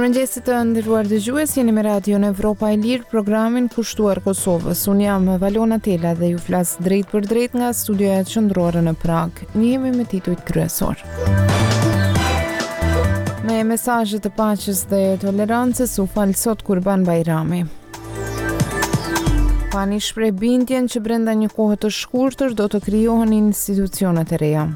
Mirëmëngjesi të nderuar dëgjues, jeni me Radion Evropa e Lirë, programin kushtuar Kosovës. Unë jam Valona Tela dhe ju flas drejtpërdrejt nga studioja qendrore në Pragë. Njihemi me titujt kryesorë. Me mesazhe të paqes dhe tolerancës u fal sot Kurban Bajrami. PAN-i shpreh bindjen që brenda një kohe të shkurtër do të krijohen institucionet e reja.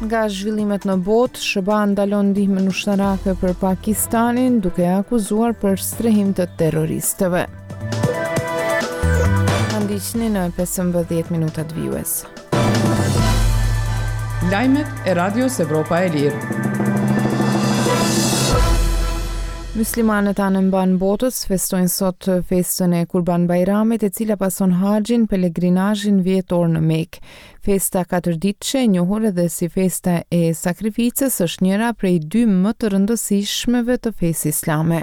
Nga zhvillimet në botë, SHBA ndalon ndihmën ushtarake për Pakistanin duke e akuzuar për strehim të terroristëve. Na ndiqni në 15 minutat vijuese. Lajmet e Radios Evropa e Lirë. Myslimanët anembanë botës festojnë sot festën e Kurban Bajramit, e cila pason haxhin, pelegrinazhin vjetor në Mekë. Festa katërditëshe, e njohur edhe si festa e sakrificës, është njëra prej dy më të rëndësishmeve të fesë islame.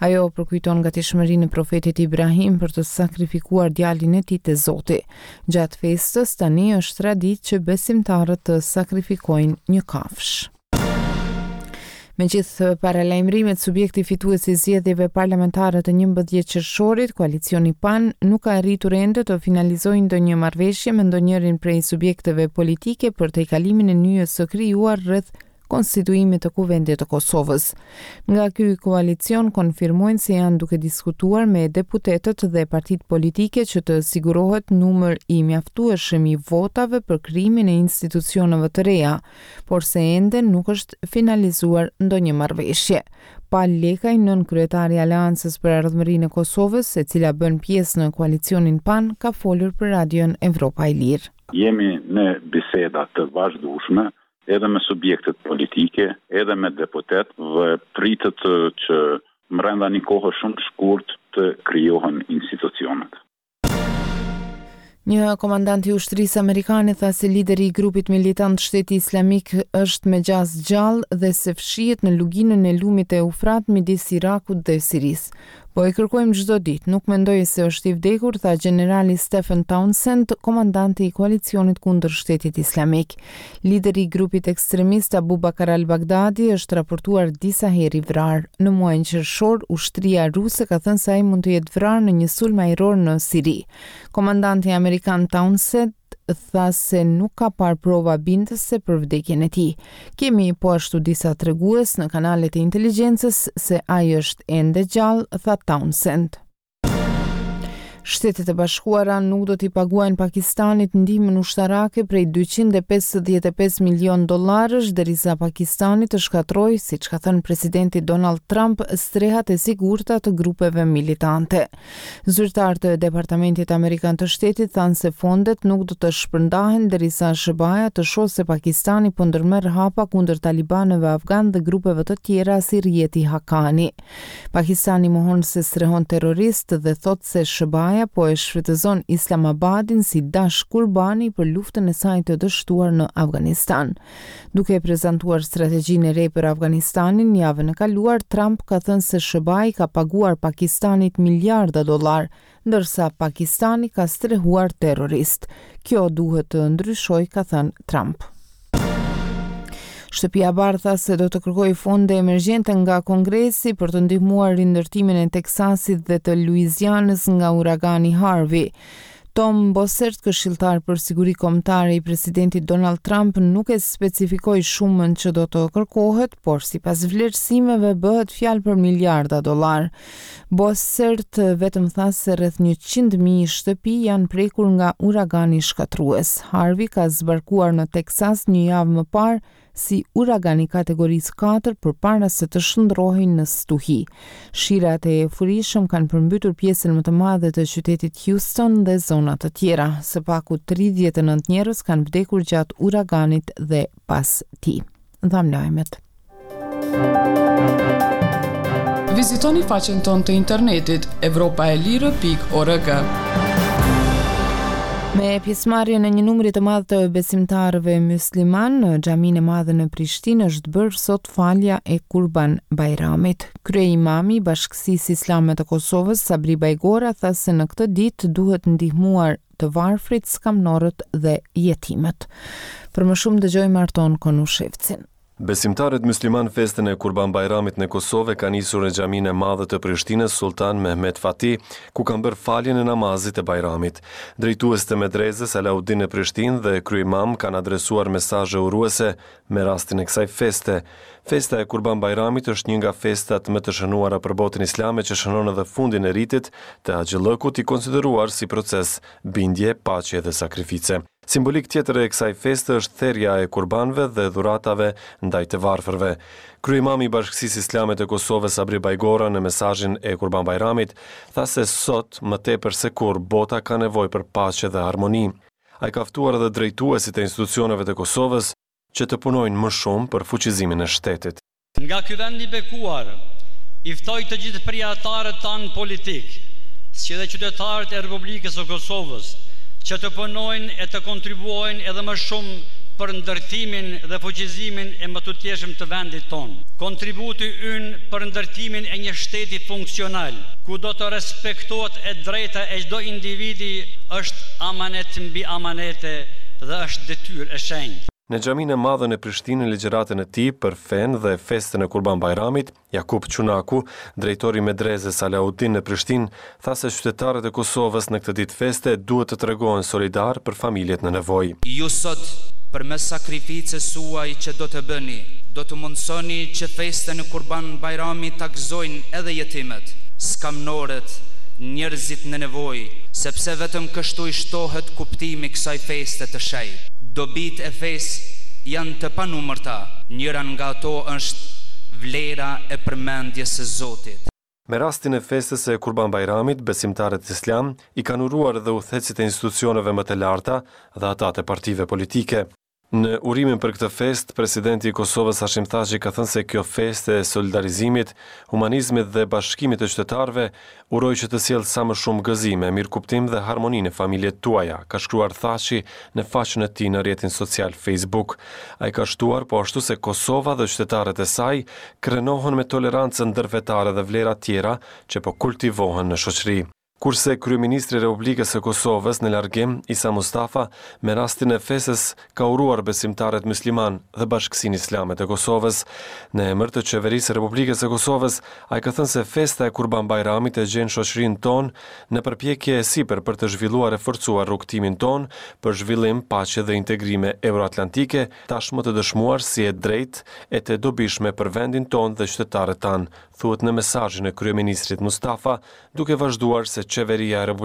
Ajo përkujton gatishmërinë e profetit Ibrahim për të sakrifikuar djalin e tij te Zoti. Gjatë festës tani është traditë që besimtarët të sakrifikojnë një kafshë. Megjithë paralajmërimet, subjekti fitues i zgjedhjeve parlamentare të 11 qershorit, koalicioni PAN, nuk ka arritur ende të finalizojë ndonjë marrëveshje me ndonjërin prej subjekteve politike për tejkalimin e nyjës së krijuar rreth konstituimit të Kuvendit të Kosovës. Nga ky koalicion konfirmojnë se janë duke diskutuar me deputetët dhe partitë politike që të sigurohet numër i mjaftueshëm i votave për krijimin e institucioneve të reja, por se ende nuk është finalizuar ndonjë marrëveshje. Pal Lekaj, nënkryetar i Aleancës për Ardhmërinë e Kosovës, e cila bën pjesë në koalicionin PAN, ka folur për Radion Evropa e Lirë. Jemi në biseda të vazhdueshme edhe me subjektet politike, edhe me deputetë dhe pritet që mrenda një kohe shumë të shkurt të krijohen institucionet. Një komandant i ushtrisë amerikane tha se lideri i grupit militant Shteti Islamik është me gjasë gjallë dhe se fshihet në luginën e lumit Eufrat midis Irakut dhe Sirisë. Po e kërkojmë çdo ditë, nuk mendoj se është i vdekur, tha gjenerali Stephen Townsend, komandanti i koalicionit kundër Shtetit Islamik. Lideri i grupit ekstremist Abu Bakr al-Baghdadi është raportuar disa herë i vrarë. Në muajin qershor, ushtria ruse ka thënë se ai mund të jetë vrarë në një sulm ajror në Siri. Komandanti amerikan Townsend tha se nuk ka parë prova bindëse për vdekjen e tij. Kemi po ashtu disa tregues në kanalet e inteligjencës se ai është ende gjallë, tha Townsend. Shtetet e Bashkuara nuk do t'i paguajnë Pakistanit ndihmën ushtarake prej 255 milionë dollarësh derisa Pakistani të shkatërrojë, siç ka thënë presidenti Donald Trump, strehat e sigurta të grupeve militante. Zyrtarë të Departamentit Amerikan të Shtetit thanë se fondet nuk do të shpërndahen derisa SHBA-ja të shohë se Pakistani po ndërmerr hapa kundër talibanëve afganë dhe grupeve të tjera si rrjeti Haqqani. Pakistani mohon se strehon terroristë dhe thotë se SHBA-ja po e shfrytëzon Islamabadin si dash kurbani për luftën e saj të dështuar në Afganistan. Duke prezantuar strategjinë e re për Afganistanin javën e kaluar, Trump ka thënë se SHBA i ka paguar Pakistanit miliarda dollarë, ndërsa Pakistani ka strehuar terroristë. Kjo duhet të ndryshojë, ka thënë Trump. Shtëpia e Bardhë tha se do të kërkojë fonde emergjente nga Kongresi për të ndihmuar rindërtimin e Teksasit dhe të Luizianës nga uragani Harvey. Tom Bossert, këshilltar për siguri kombëtare i presidentit Donald Trump, nuk e specifikoi shumën që do të kërkohet, por sipas vlerësimeve bëhet fjalë për miliarda dollarë. Bossert vetëm tha se rreth 100.000 shtëpi janë prekur nga uragani shkatërrues. Harvey ka zbarkuar në Teksas një javë më parë si uragan i kategorisë 4 përpara se të shndërrohej në stuhi. Shirat e furishëm kanë përmbytur pjesën më të madhe të qytetit Houston dhe zona të tjera. Së paku 39 njerëz kanë vdekur gjatë uraganit dhe pas tij. Dhamë lajmet. Vizitoni faqen tonë të internetit evropaelire.org. Me pjesëmarrjen e një numri të madh të besimtarëve myslimanë në Xhaminë e Madhe në Prishtinë është bërë sot falja e Kurban Bajramit. Kryeimami i Bashkësisë Islame të Kosovës, Sabri Bajgora, tha se në këtë ditë duhet ndihmuar të varfrit, skamnorët dhe jetimët. Për më shumë dëgjojmë Arton Konushevcin. Besimtarët myslimanë festën e Kurban Bajramit në Kosovë e kanë nisur në Xhaminë e Madhe të Prishtinës Sulltan Mehmet Fatih, ku kanë bërë faljen e namazit të Bajramit. Drejtues të Medrezës Alaudin në Prishtinë dhe kryeimam kanë adresuar mesazhe uruese me rastin e kësaj feste. Festa e Kurban Bajramit është një nga festat më të shënuara për botën islame që shënon edhe fundin e ritit të haxhillëkut i konsideruar si proces bindje, paqe dhe sakrifice. Simbolikë tjetër e kësaj feste është therja e kurbanëve dhe dhuratave ndaj të varfërve. Kryeimami i Bashkësisë Islame të Kosovës Sabri Bajgora në mesazhin e Kurban Bajramit tha se sot më tepër se kurrë bota ka nevojë për paqe dhe harmoni. Ai ka ftuar edhe drejtuesit e institucioneve të Kosovës që të punojnë më shumë për fuqizimin e shtetit. Nga ky vend i bekuar, i ftoj të gjithë prijatarët tanë politikë, si dhe qytetarët e Republikës së Kosovës, që të punojnë e të kontribuojnë edhe më shumë për ndërtimin dhe fuqizimin e mëtutjeshëm të vendit tonë. Kontributi ynë për ndërtimin e një shteti funksional, ku do të respektohet e drejta e çdo individi është amanet mbi amanete dhe është detyrë e shenjtë. Në Xhaminë e Madhe në Prishtinë në ligjëratën e tij për fenë dhe festën e Kurban Bajramit, Jakup Çunaku, drejtor i Medrezës Alaudin në Prishtinë, tha se qytetarët e Kosovës në këtë ditë feste duhet të tregohen solidarë për familjet në nevojë. Ju sot, përmes sakrificës suaj që do të bëni, do të mundësoni që festën e Kurban Bajramit ta gëzojnë edhe jetimët, skamnorët, njerëzit në nevojë, sepse vetëm kështu i shtohet kuptimi kësaj feste të shenjtë. Dobitë e fesë janë të panumërta, njëra nga ato është vlera e përmendjes së Zotit. Me rastin e festës së Kurban Bajramit, besimtarët islamë i kanë uruar edhe udhëheqësit e institucioneve më të larta dhe ata të partive politike. Në urimin për këtë festë, presidenti i Kosovës Hashim Thaçi ka thënë se kjo festë e solidarizimit, humanizmit dhe bashkimit të qytetarëve, uroj që të sjellë sa më shumë gëzime, mirëkuptim dhe harmoni në familjet tuaja, ka shkruar Thaçi në faqen e tij në rrjetin social Facebook. Ai ka shtuar po ashtu se Kosova dhe qytetarët e saj krenohen me tolerancën ndërfetare dhe vlerat tjera që po kultivohen në shoqëri. Kurse kryeministri i Republikës së Kosovës në largim, Isa Mustafa, me rastin e festës ka uruar besimtarët myslimanë dhe Bashkësinë Islame të Kosovës. Në emër të Qeverisë së Republikës së Kosovës, ai ka thënë se festa e Kurban Bajramit e gjen shoqërinë tonë në përpjekje e sipër për të zhvilluar e forcuar rrugëtimin tonë për zhvillim, paqe dhe integrime euroatlantike, tashmë të dëshmuar si e drejtë e të dobishme për vendin tonë dhe qytetarët tanë, thuhet në mesazhin e kryeministrit Mustafa, duke vazhduar se Qeveria e.